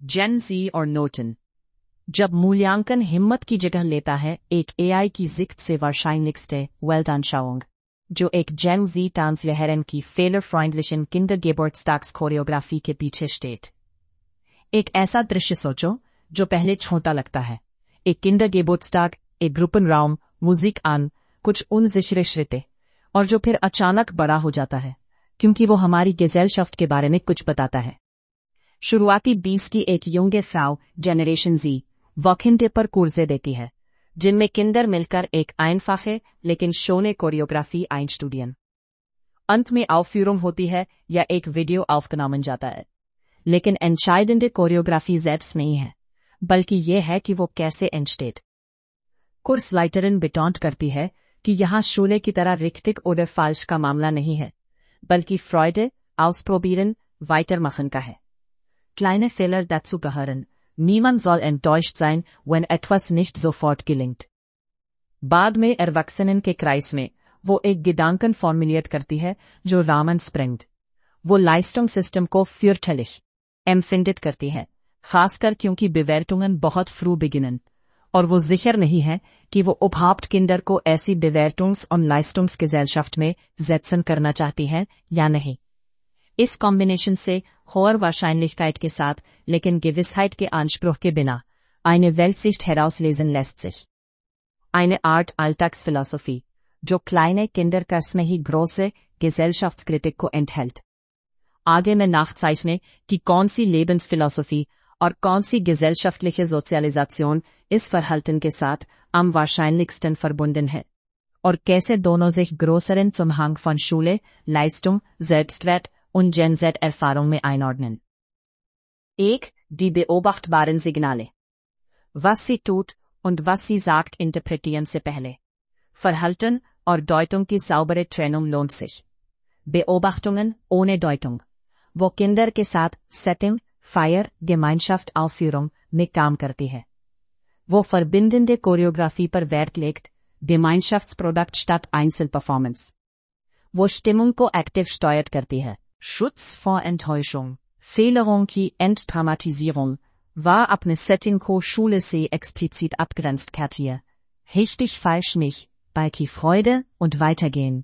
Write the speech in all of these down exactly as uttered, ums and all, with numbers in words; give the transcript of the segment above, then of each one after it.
जेन ज़ी और नोटन। जब मूल्यांकन हिम्मत की जगह लेता है एक एआई की जिक्र से wahrscheinlichste Weltanschauung, जो एक जेन ज़ी ट्रांसलेहरन की fehlerfreundlichen Kindergeburtstags-कोरियोग्राफी के पीछे स्टेट। एक ऐसा दृश्य सोचो जो पहले छोटा लगता है। एक Kindergeburtstag, एक Gruppenraum, Musik an, कुछ unsichere Schritte, और जो फिर अचानक बड़ा हो जाता है क्योंकि वो हमारी गेज़ेलशफ्ट के बारे में कुछ बताता है। शुरुआती बीस की एक युंगे फ्राउ जेनरेशन जी वॉकिंटे पर कुर्से देती है, जिनमें किंडर मिलकर एक einfache लेकिन शोने कोरियोग्राफी einstudieren। अंत में Aufführung होती है या एक वीडियो aufgenommen जाता है, लेकिन entscheidende कोरियोग्राफी selbst नहीं है, बल्कि यह है कि वो कैसे entsteht। कुर्सलाइटरन बिटॉन्ट करती है कि यहाँ शोले की तरह रिक्तिक oder falsch का मामला नहीं है, बल्कि Freude, Ausprobieren, Weitermachen का है। Kleine Fehler dazu gehören. Niemand soll enttäuscht sein, wenn etwas nicht sofort gelingt. बाद में Erwachsenen के क्राइस में वो एक Gedanken formuliert करती है जो Rahmen sprengt। वो Leistungssystem को fürchterlich empfindet करती है, खासकर क्योंकि Bewertungen बहुत früh beginnen, और वो sicher नहीं है कि वो überhaupt Kinder को ऐसी Bewertungs- und Leistungsgesellschaft में setzen करना चाहती है या नहीं। इस कॉम्बिनेशन से hoher Wahrscheinlichkeit के साथ लेकिन Gewissheit के Anspruch के बिना eine Weltsicht herauslesen lässt sich. Eine Art Alltagsphilosophie, जो kleine Kinderkurs में ही große Gesellschaftskritik को enthält. आगे मैं nachzeichne कि कौन सी Lebensphilosophie और कौन सी gesellschaftliche Sozialisation इस Verhalten के साथ am wahrscheinlichsten verbunden है, और कैसे दोनों sich größeren Zusammenhang von Schule, Leistung, Selbstwert und Gen Z-Erfahrung में einordnen. एक, die beobachtbaren Signale. Was sie tut und was sie sagt interpretieren से पहले. Verhalten और Deutung की saubere Trennung lohnt sich. Beobachtungen ohne Deutung. वो Kinder के साथ Setting, Feier, Gemeinschaft, Aufführung में काम करती है. वो verbindende Choreografie पर Wert legt, Gemeinschaftsprodukt statt Einzelperformance. वो Stimmung को active steuert करती है. Schutz vor Enttäuschung, Fehlerung की Entdramatisierung, war अपने Setting को Schule से explizit abgrenzt करती Richtig falsch nicht, Balki Freude und Weitergehen.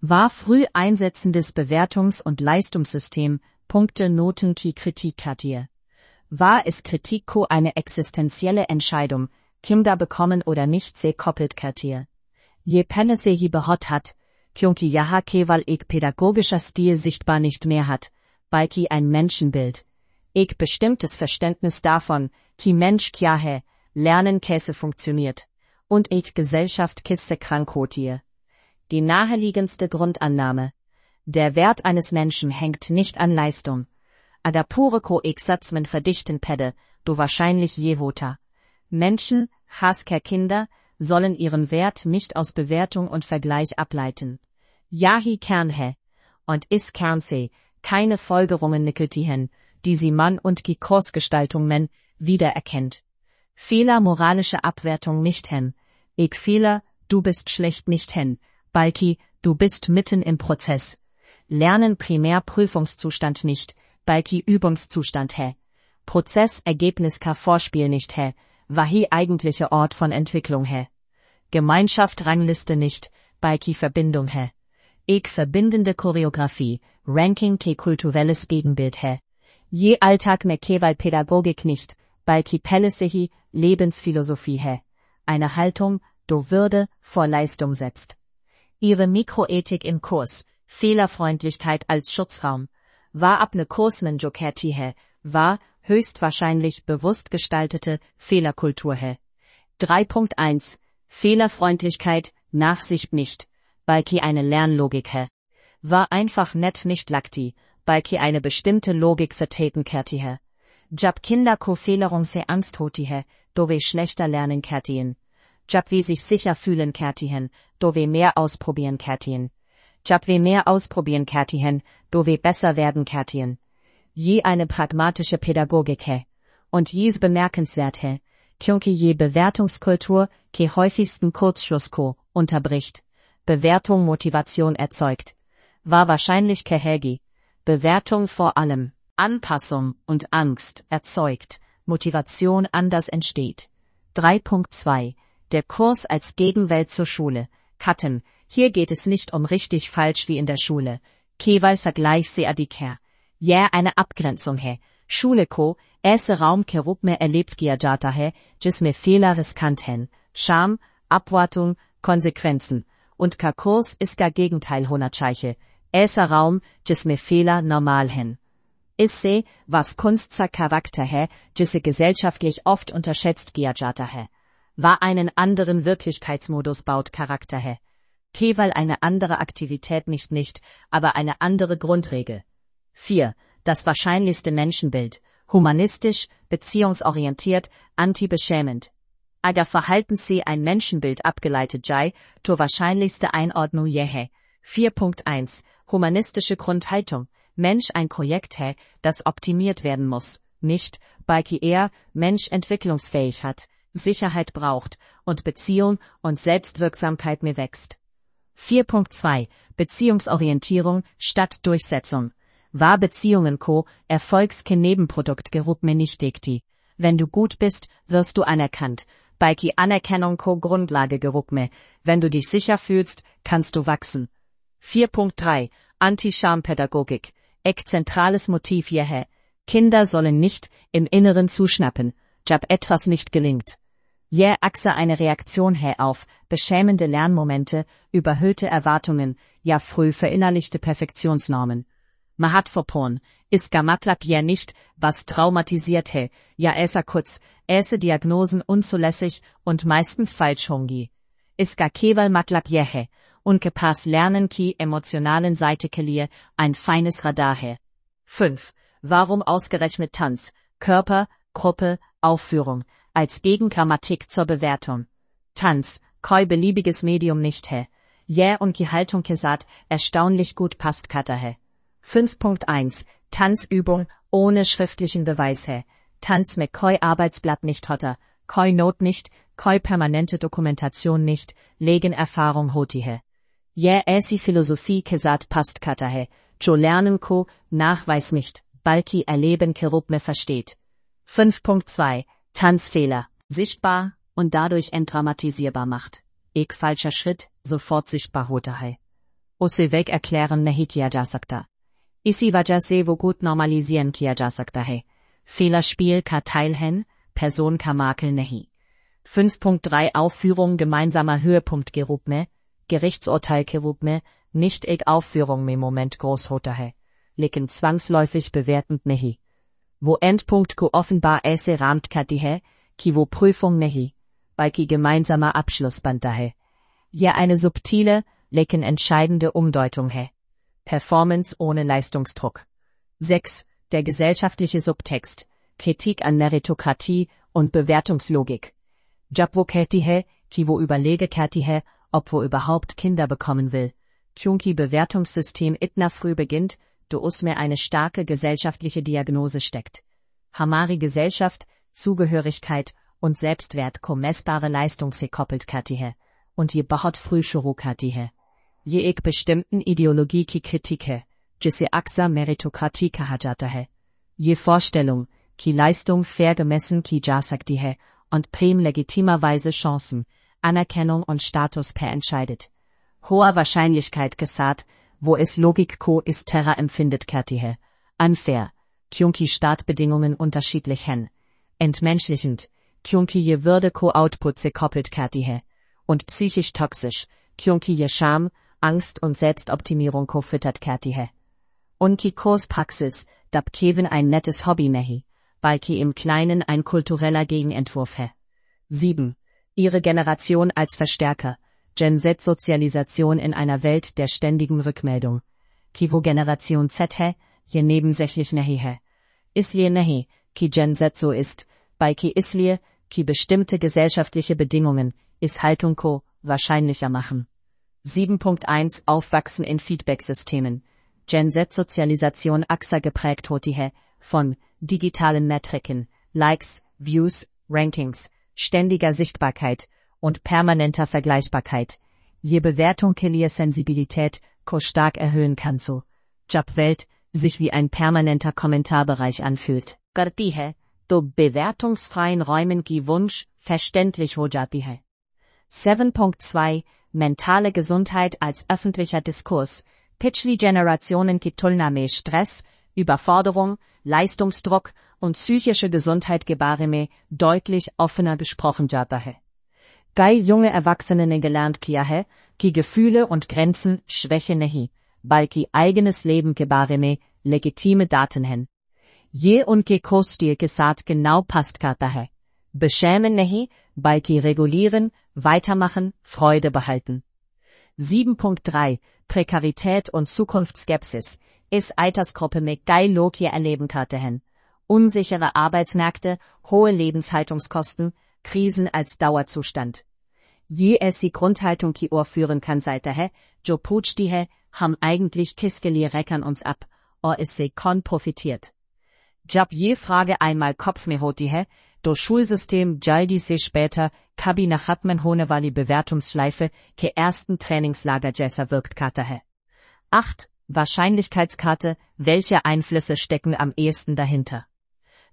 War früh einsetzendes Bewertungs- und Leistungssystem, Punkte Noten की Kritik करती War es Kritik को eine existenzielle Entscheidung, Kinder bekommen oder nicht से koppelt करती ये पहले से ही बहुत hat, क्योंकि यहाँ केवल एक pädagogischer Stil sichtbar nicht mehr hat, बल्कि ein Menschenbild, एक bestimmtes Verständnis davon, कि Mensch क्या है, Lernen कैसे funktioniert, und एक Gesellschaft किससे krank होती है. Die naheliegendste Grundannahme, der Wert eines Menschen hängt nicht an Leistung, aber pure को एक सच में verdichten pede, du wahrscheinlich je होता. Menschen, खासकर Kinder, sollen ihren Wert nicht aus Bewertung und Vergleich ableiten. Yahi Kern है, und is Kern से keine Folgerungen nikeltihen, die sie Mann und die Kursgestaltung men wiedererkennt. Fehler moralische Abwertung nicht hen, ich Fehler, du bist schlecht nicht hen, balki, du bist mitten im Prozess. Lernen Primärprüfungszustand nicht, balki Übungszustand है. Prozess Ergebnis ka Vorspiel nicht है, wahi eigentliche Ort von Entwicklung है. Gemeinschaft Rangliste nicht, balki Verbindung है. एक verbindende Choreografie, Ranking के kulturelles Gegenbild है. ये Alltag में केवल Pädagogik nicht, बल्कि पहले से ही Lebensphilosophie है. Eine Haltung, do Würde vor Leistung setzt. Ihre Mikroethik im Kurs, Fehlerfreundlichkeit als Schutzraum, war अपने Kurs में जो कहती है, war höchstwahrscheinlich bewusst gestaltete Fehlerkultur है. drei Punkt eins Fehlerfreundlichkeit, Nachsicht nicht, बल्कि eine Lernlogik है. War einfach nett nicht लगती, बल्कि eine bestimmte Logik vertreten करती है. जब Kinder को Fehlerung से Angst होती है, तो वे schlechter lernen करती हैं. जब वे sich sicher fühlen करती हैं, तो वे mehr ausprobieren करती हैं. जब वे mehr ausprobieren करती हैं, तो वे besser werden करती हैं. ये eine pragmatische Pädagogik है. Und dies bemerkenswert है, क्योंकि ये Bewertungskultur के häufigsten Kurzschluss को unterbricht. Bewertung Motivation erzeugt. War wahrscheinlich Kehegi. Bewertung vor allem. Anpassung und Angst erzeugt, Motivation anders entsteht. drei Punkt zwei Der Kurs als Gegenwelt zur Schule. Katten, hier geht es nicht um richtig falsch wie in der Schule. Keval Vergleich se adikher. Ja, eine Abgrenzung he. Schule ko, ऐसे Raum के रूप में erlebt किया जाता है, जिसमें Fehler riskant हैं, Scham, Abwartung, Konsequenzen. Und का Kurs इसका Gegenteil होना चाहिए, ऐसा Raum, जिसमें Fehler normal हैं. इससे, was Kunst सा Charakter है, जिसे gesellschaftlich oft unterschätzt किया जाता है. War einen anderen Wirklichkeitsmodus baut Charakter है. Keval eine andere Aktivität nicht nicht, aber eine andere Grundregel. vier Das wahrscheinlichste Menschenbild. Humanistisch, beziehungsorientiert, anti-beschämend. Agar verhalten sie ein Menschenbild abgeleitet sei, to wahrscheinlichste Einordnung jehe. vier Punkt eins Humanistische Grundhaltung. Mensch ein Projekt he, das optimiert werden muss, nicht, balki er, Mensch entwicklungsfähig hat, Sicherheit braucht, und Beziehung und Selbstwirksamkeit mir wächst. vier Punkt zwei Beziehungsorientierung statt Durchsetzung. War Beziehungen ko, Erfolgs ke Nebenprodukt gerup me nicht dikti. Wenn du gut bist, wirst du anerkannt. Balki Anerkennung ko Grundlage gerup me. Wenn du dich sicher fühlst, kannst du wachsen. vier Punkt drei Anti-Scham-Pädagogik. Ek zentrales Motiv jehe. Kinder sollen nicht im Inneren zuschnappen, jab etwas nicht gelingt. Je axa eine Reaktion he auf beschämende Lernmomente, überhöhte Erwartungen, ja früh verinnerlichte Perfektionsnormen. Mahat verporn, iska matlab je nicht, was traumatisiert he, ja äser kurz, äse Diagnosen unzulässig und meistens falsch hongi. Iska keval matlab jehe, unke pas lernen ki emotionalen Seite kelie, ein feines Radar he. fünf Warum ausgerechnet Tanz, Körper, Gruppe, Aufführung, als Gegengrammatik zur Bewertung. Tanz, koi beliebiges Medium nicht he. Je und die Haltung kesat, erstaunlich gut passt kata he. fünf Punkt eins Tanzübung ohne schriftlichen Beweis he. Tanz mit koi Arbeitsblatt nicht hotter, koi Not nicht, koi permanente Dokumentation nicht, legen Erfahrung hoti he. Je äsi Philosophie kesat passt kata he. Jo lernen ko, Nachweis nicht, balki erleben kerup me versteht. fünf Punkt zwei Tanzfehler, sichtbar und dadurch entdramatisierbar macht. Ek falscher Schritt, sofort sichtbar hote hai. Usse weg erklären nahi kiya ja sakta. Isi wajah se wo gut normalisieren kiya ja sakta hai. Fehlerspiel ka Teil hen, Person ka Makel nahi. fünf Punkt drei Aufführung gemeinsamer Höhepunkt gerup me, Gerichtsurteil kerup me, nicht ek Aufführung me Moment groß hote hai. Leken zwangsläufig bewertend nahi. Wo Endpunkt ko offenbar äse rahmt kati he, ki wo Prüfung nehi, bei ki gemeinsamer Abschlussband dahe. Ja eine subtile, lecken entscheidende Umdeutung he. Performance ohne Leistungsdruck. sechs Der gesellschaftliche Subtext, Kritik an Meritokratie und Bewertungslogik. Jab wo kati he, ki wo überlege kati he, ob wo überhaupt Kinder bekommen will. Kyunki Bewertungssystem itna früh beginnt, do usme eine starke gesellschaftliche Diagnose steckt. Hamari Gesellschaft, Zugehörigkeit und Selbstwert ko messbare Leistung se koppelt katihe, und je bahot früh shuru katihe. Je ek bestimmten Ideologie ki Kritike, jisse axa Meritokratie kahajatahe. Je Vorstellung, ki Leistung fair gemessen ki jasaktihe, und prim legitimerweise Chancen, Anerkennung und Status per entscheidet. Hoher Wahrscheinlichkeit gesat, wo es Logik ko ist terra empfindet katihe. Unfair, kyunki Startbedingungen unterschiedlich hen. Entmenschlichend, kyunki je Würde ko Output se koppelt katihe. Und psychisch toxisch, kyunki je Scham, Angst und Selbstoptimierung ko füttert katihe. Unki Kurspraxis, dab Kevin ein nettes Hobby nehi, balki im Kleinen ein kultureller Gegenentwurf he. sieben Ihre Generation als Verstärker. Gen Z-Sozialisation in einer Welt der ständigen Rückmeldung. Ki wo Generation Z he, je nebensächlich nehi he. Islie nehi, ki Gen Z so ist, bei ki islie, ki bestimmte gesellschaftliche Bedingungen, is Haltung ko, wahrscheinlicher machen. sieben Punkt eins Aufwachsen in Feedbacksystemen. Gen Z-Sozialisation axa geprägt hoti he, von digitalen Metriken, Likes, Views, Rankings, ständiger Sichtbarkeit und permanenter Vergleichbarkeit. Je Bewertung kelie Sensibilität ko stark erhöhen kann so. Jab Welt, sich wie ein permanenter Kommentarbereich anfühlt. करती है तो bewertungsfreien Räumen की Wunsch verständlich हो जाती है. sieben Punkt zwei Mentale Gesundheit als öffentlicher Diskurs. पिछली Generationen की तुलना में Stress, Überforderung, Leistungsdruck und psychische Gesundheit के बारे में deutlich offener gesprochen जाता है. कई junge Erwachsene ने gelernt किया है कि Gefühle und Grenzen Schwäche नहीं, बल्कि eigenes Leben के बारे में legitime Daten हैं. ये उनके कोस्टिए के साथ genau passt करता है. Beschämen नहीं, बल्कि regulieren, weitermachen, Freude behalten. sieben Punkt drei Prekarität und Zukunftsskepsis. इस Altersgruppe में कई लोग ये erleben करते हैं. Unsichere Arbeitsmärkte, hohe Lebenshaltungskosten, Krisen als Dauerzustand. ये ऐसी Grundhaltung की ओर führen kann जाता है, जो पूछती है, हम eigentlich किसके लिए रखन uns ab, और इससे कौन profitiert. जब ये Frage einmal Kopf में होती है, तो Schulsystem जल्दी से später कभी न खत्म होने वाली Bewertungsschleife के ersten Trainingslager जैसा wirkt करता है. acht Wahrscheinlichkeitskarte, welche Einflüsse stecken am ehesten dahinter?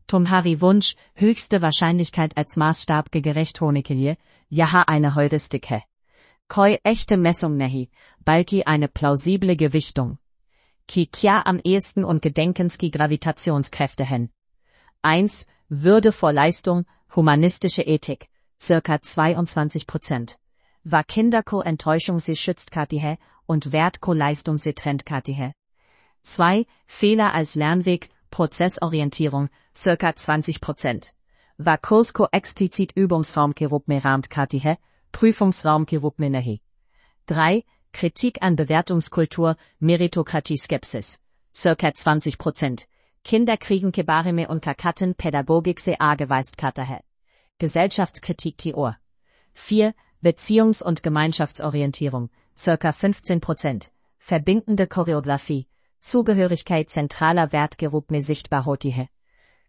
तुम्हारी वंश höchste Wahrscheinlichkeit als Maßstab के gerecht होने के लिए यहाँ eine Heuristik है. कोई echte Messung नहीं, बल्कि eine plausible Gewichtung. कि क्या am ehesten und Gedenkens की Gravitationskräfte हैं. eins Würde vor Leistung, humanistische Ethik, circa zweiundzwanzig Prozent. War Kinder को Enttäuschung से schützt करती है und Wert को Leistung से trennt करती है. zwei Fehler als Lernweg, Prozessorientierung, circa zwanzig Prozent. War Kurs को explizit Übungsraum के रूप में रामत करती है, Prüfungsraum के रूप में नहीं. drei Kritik an Bewertungskultur, Meritokratie Skepsis, circa zwanzig Prozent. Kinder kriegen के बारे में उनका कथन Pädagogik से आgeweist करता है. Gesellschaftskritik की ओर. vier Beziehungs- und Gemeinschaftsorientierung, circa fünfzehn Prozent. Verbindende Choreografie, Zugehörigkeit zentraler Wert के रूप में sichtbar होती है.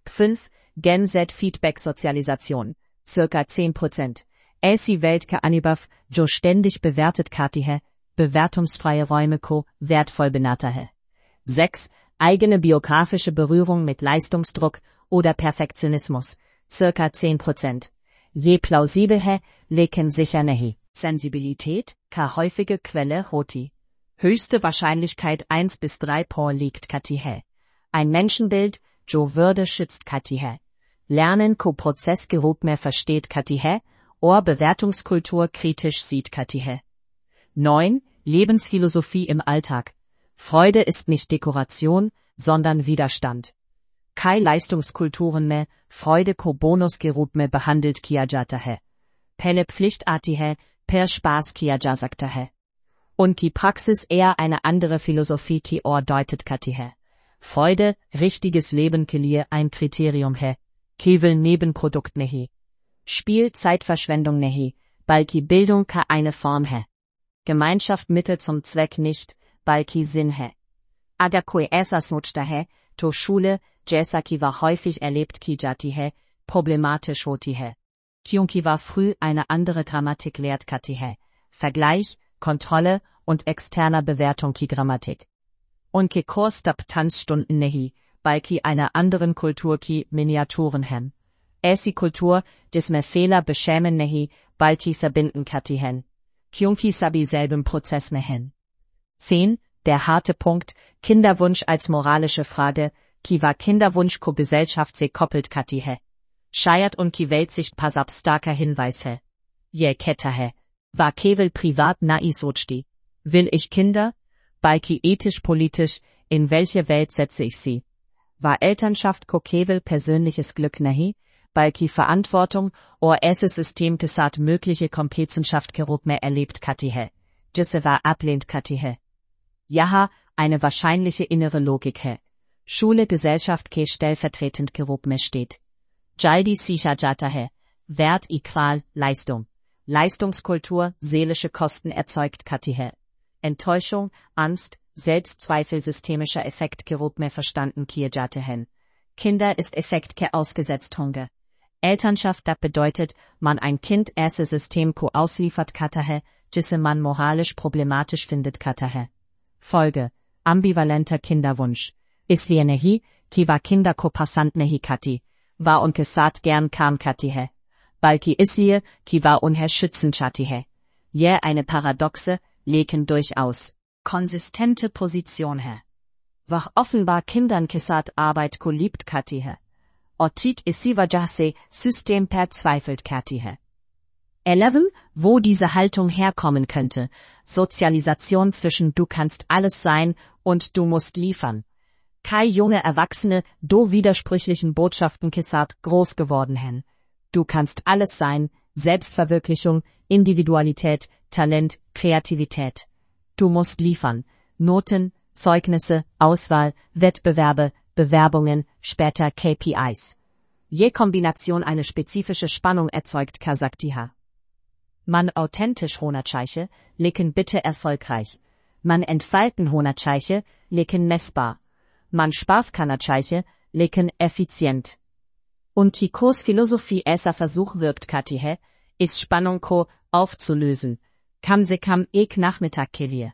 fünf Gen Z Feedback Sozialisation, circa zehn Prozent. ऐसी Welt का अनुभव जो ständig bewertet करती है, bewertungsfreie Räume को wertvoll बनाता है. sechs Eigene biografische Berührung mit Leistungsdruck oder Perfektionismus, circa zehn Prozent. Je plausibel है, लेकिन sicher नहीं. Sensibilität, का häufige Quelle होती. Höchste Wahrscheinlichkeit eins bis drei por liegt करती है. Ein Menschenbild, जो Würde schützt करती है. Lernen को Prozess के रूप में versteht करती है, और Bewertungskultur kritisch sieht करती है. neun Lebensphilosophie im Alltag. Freude ist nicht Dekoration, sondern Widerstand. कई Leistungskulturen में Freude को बोनस के रूप में behandelt किया जाता है. पहले Pflicht आती है, per Spaß किया जा सकता है. उनकी Praxis eher eine andere Philosophie की ओर deutet करती है. Freude, richtiges Leben के लिए ein Kriterium है, केवल Nebenprodukt नहीं. Spiel Zeitverschwendung नहीं, बल्कि Bildung का eine Form है. Gemeinschaft Mittel zum Zweck nicht, बल्कि Sinn है. अगर कोई ऐसा सोचता है, तो Schule, जैसा कि वह häufig erlebt की जाती है, problematisch होती है. क्योंकि वह früh eine andere Grammatik lehrt करती है. Vergleich, Kontrolle und externer Bewertung की Grammatik. उनके Kurs तब Tanzstunden नहीं, बल्कि einer anderen Kultur की Miniaturen हैं. ऐसी Kultur, जिसमें Fehler beschämen नहीं, बल्कि verbinden करती हैं. क्योंकि सभी selben Prozess में हैं. zehn Der harte Punkt, Kinderwunsch als moralische Frage, की वा Kinderwunsch को Gesellschaft से koppelt करती है. शायद उनकी Weltsicht पर अब starker Hinweis है. यह कहता है, वा केवल privat naï सोचती. Will ich Kinder? बल्कि ethisch-politisch, in welche Welt setze ich sie? War Elternschaft को केवल persönliches Glück नहीं, बल्कि Verantwortung और ऐसे System के साथ mögliche Kompetenzschaft के रूप में erlebt करती है, जिसे वह ablehnt करती है. यहाँ eine wahrscheinliche innere Logik है. Schule Gesellschaft के stellvertretend के रूप में steht. जल्दी सीखा जाता है. Wert equal Leistung. Leistungskultur seelische Kosten erzeugt करती है. Enttäuschung, Angst, Selbstzweifel systemischer Effekt के रूप में verstanden किए जाते हैं. Kinder ist Effekt के ausgesetzt होंगे. Elternschaft das bedeutet, man ein Kind ऐसे System को ausliefert करता है, जिसे man moralisch problematisch findet करता है. Folge: ambivalenter Kinderwunsch. इसलिए नहीं कि वह किंडर को पसंद नहीं खाती, वह उनके साथ gern काम करती है, बल्कि इसलिए कि वह उन्हें schützen चाहती है. यह eine paradoxe, लेकिन durchaus konsistente Position है. वह offenbar Kindern के साथ Arbeit को liebt करती है, और ठीक इसी वजह से System verzweifelt करती है. elf. Wo diese Haltung herkommen könnte, Sozialisation zwischen du kannst alles sein und du musst liefern. Kai junge Erwachsene do widersprüchlichen Botschaften के साथ groß geworden हैं. Du kannst alles sein, Selbstverwirklichung, Individualität, Talent, Kreativität. Du musst liefern, Noten, Zeugnisse, Auswahl, Wettbewerbe, Bewerbungen, später K P Is. Je Kombination eine spezifische Spannung erzeugt का सकती है. Man authentisch होना चाहिए, लेकिन bitte erfolgreich. Man entfalten होना चाहिए, लेकिन messbar. Man Spaß करना चाहिए, लेकिन effizient. Unsere Kursphilosophie ऐसा Versuch wirkt करती है, इस Spannung को aufzulösen. Kam se kam ek Nachmittag के लिए.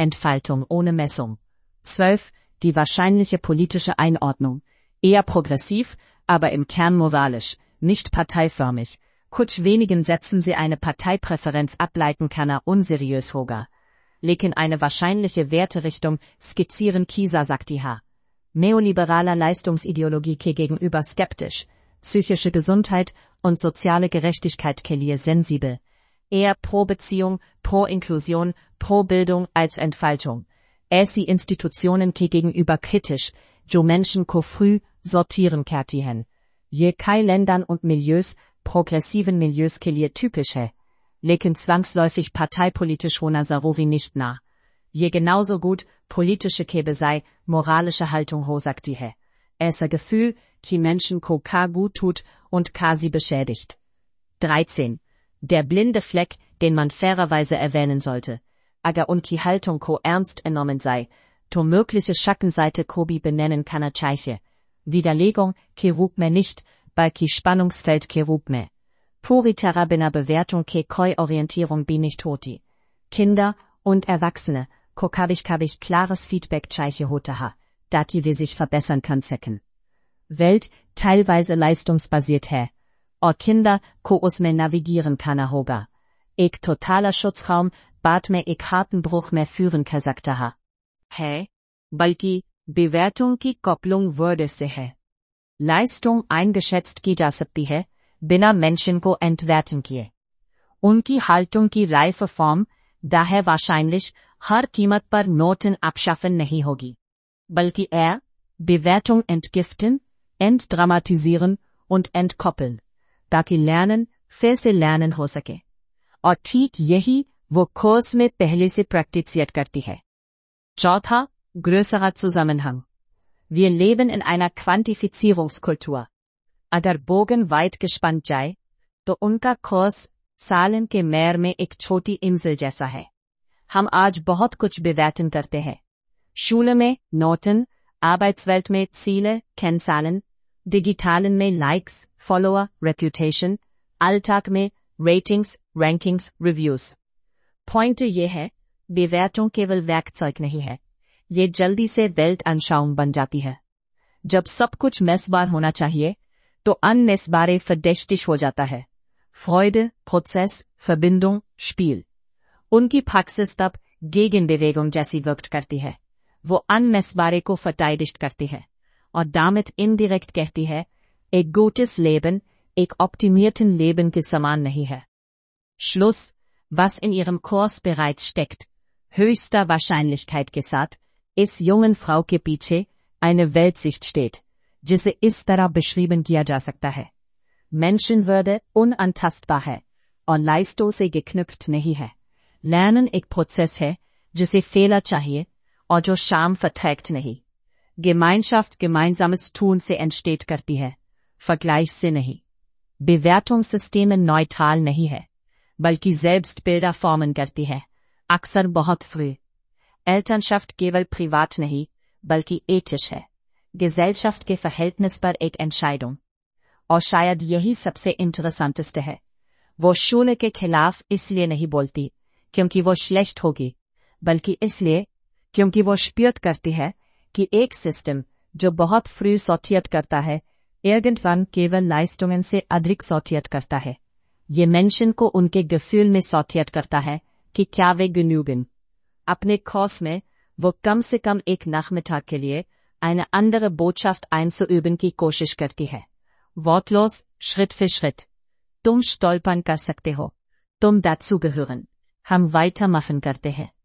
Entfaltung ohne Messung. zwölf. Die wahrscheinliche politische Einordnung. Eher progressiv, aber im Kern moralisch, nicht parteiförmig. Kuch wenigen Sätzen sie eine Parteipräferenz ableiten kann er unseriös hoga. Lekin eine wahrscheinliche Werterichtung skizzieren Kisa sagt die H. Neoliberaler Leistungsideologie ke gegenüber skeptisch. Psychische Gesundheit und soziale Gerechtigkeit ke liye sensibel. Eher pro Beziehung, pro Inklusion, pro Bildung als Entfaltung. ऐसी Institutionen के gegenüber kritisch, जो Menschen को früh sortieren करती हैं. ये कई Ländern und Milieus, progressiven Milieus के लिए typisch है. Lekin zwangsläufig parteipolitisch होना ज़रूरी nicht ना. ये genauso gut politische Kebe sei, moralische Haltung हो सकती है. ऐसा Gefühl, कि Menschen को का gut tut und ka sie beschädigt. dreizehn. Der blinde Fleck, den man fairerweise erwähnen sollte. Agar unki Haltung ko ernst entnommen sei, to mögliche Schattenseite ko bi benennen kann er चाहिए. Widerlegung, ke रूप में nicht, balki Spannungsfeld ke रूप में. Puri terra bina Bewertung ke koi Orientierung bi nicht hoti. Kinder und Erwachsene, ko kabich kabich klares Feedback चाहिए होता ha, daki wir sich verbessern kann secken. Welt, teilweise leistungsbasiert है, और Kinder को उसमें navigieren kann er होगा. एक totaler Schutzraum, बाद में एक harten Bruch mehr führen कर सकता है. है, बल्कि Bewertung की Kopplung würde से है. Leistung eingeschätzt की जा सकती है, बिना Menschen को entwerten किए. उनकी Haltung की reife Form, daher wahrscheinlich, हर कीमत पर Noten abschaffen नहीं होगी. बल्कि er, Bewertung entgiften, entdramatisieren und entkoppeln. ताकि lernen, फिर से lernen हो सके. और ठीक यही वो कोर्स में पहले से praktiziert करती है. चौथा, größerer Zusammenhang. Wir leben in einer Quantifizierungskultur. अगर बोगन weit gespannt जाए, तो उनका कोर्स सालन के मैर में एक छोटी इंजल जैसा है. हम आज बहुत कुछ bewerten करते हैं. Schule में Noten, Arbeitswelt में Ziele, Kennzahlen, Digitalen में Likes, Follower, Reputation, Alltag में Ratings, Rankings, Reviews. Point ये है, Bewertung केवल werkzeug नहीं है. ये जल्दी से Weltanschauung बन जाती है. जब सब कुछ messbar होना चाहिए, तो unmessbare verdächtig हो जाता है. Freude, Prozess, Verbindung, Spiel. उनकी Praxis तब Gegenbewegung जैसी wirkt करती है. वो unmessbare को verteidigt करती है. और damit indirekt कहती है, एक gutes Leben, एक optimierten Leben के समान नहीं है. Schluss, was in ihrem Kurs bereits steckt, höchster Wahrscheinlichkeit के साथ, इस jungen Frau के पीछे, eine Weltsicht steht, जिसे इस तरह beschrieben किया जा सकता है. Menschenwürde unantastbar है, और Leistung से geknüpft नहीं है. Lernen एक Prozess है, जिसे Fehler चाहिए, और जो Scham verträgt नहीं. Gemeinschaft gemeinsames Tun से entsteht करती है, Vergleich से नहीं. Bewertungssysteme neutral नहीं है, बल्कि Selbstbilder formen करती है, अक्सर बहुत früh. Elternschaft केवल privat नहीं, बल्कि ethisch है. Gesellschaft के Verhältnis पर एक Entscheidung. और शायद यही सबसे interessanteste है. वो Schule के खिलाफ इसलिए नहीं बोलती, क्योंकि वो schlecht होगी, बल्कि इसलिए, क्योंकि वो spürt करती है, कि एक सिस्टम, जो बहुत फ्री सॉर्टियट करता है, irgendwann केवल Leistungen से अधिक सॉर्टियट करता है। ये मेंशन को उनके Gefühl में सॉर्टियट करता है कि क्या वे genügen। अपने कोर्स में वो कम से कम एक Nachmittag के लिए eine andere Botschaft einzuüben की कोशिश करती है। Wortlos, Schritt für Schritt। तुम stolpern कर सकते हो। तुम dazugehören। हम weitermachen करते हैं।